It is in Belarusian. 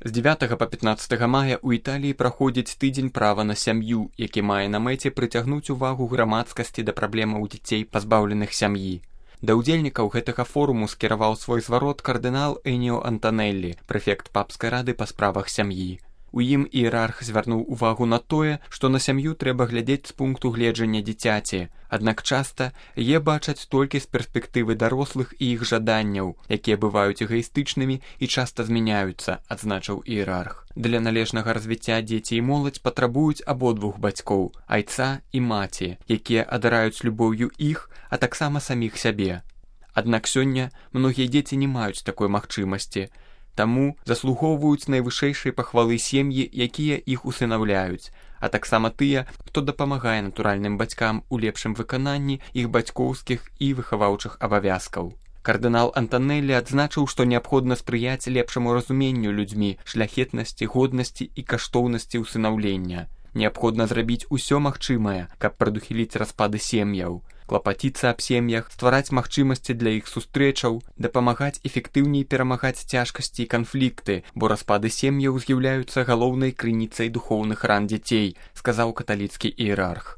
З 9 па 15 мая ў Італіі праходзіць тыдзень права на сям'ю, які мае на мэце прыцягнуць увагу грамадскасці да праблемаў дзяцей, пазбаўленых сям'і. Да ўдзельнікаў гэтага форуму скіраваў свой зварот кардынал Эніо Антанеллі, прэфект папскай рады па справах сям'і. У ім іерарх звярнуў увагу на тое, што на сям'ю трэба глядзець з пункту гледжання дзіцяці, аднак часта яе бачаць толькі з перспектывы дарослых і іх жаданняў, якія бываюць эгаістычнымі і часта змяняюцца, адзначыў іерарх. Для належнага развіцця дзеці і моладзь патрабуюць абодвух бацькоў, айца і маці, якія адараюць любоўю іх, а таксама саміх сябе. Аднак сёння многія дзеці не маюць такой магчымасці, таму заслугоўваюць найвышэйшай пахвалы сем'і, якія іх усынаўляюць, а таксама тыя, хто дапамагае натуральным бацькам у лепшым выкананні іх бацькоўскіх і выхаваўчых абавязкаў. Кардынал Антанеллі адзначыў, што неабходна спрыяць лепшаму разуменню людзьмі шляхетнасці, годнасці і каштоўнасці ўсынаўлення. Неабходна зрабіць усё магчымае, каб прадухіліць распады сем'яў, клапаціцца аб сем'ях, ствараць магчымасці для іх сустрэчаў, дапамагаць эфектыўней перамагаць цяжкасці і канфлікты, бо распады сем'яў з'яўляюцца галоўнай крыніцай духоўных ран дзяцей, сказаў каталіцкі іерарх.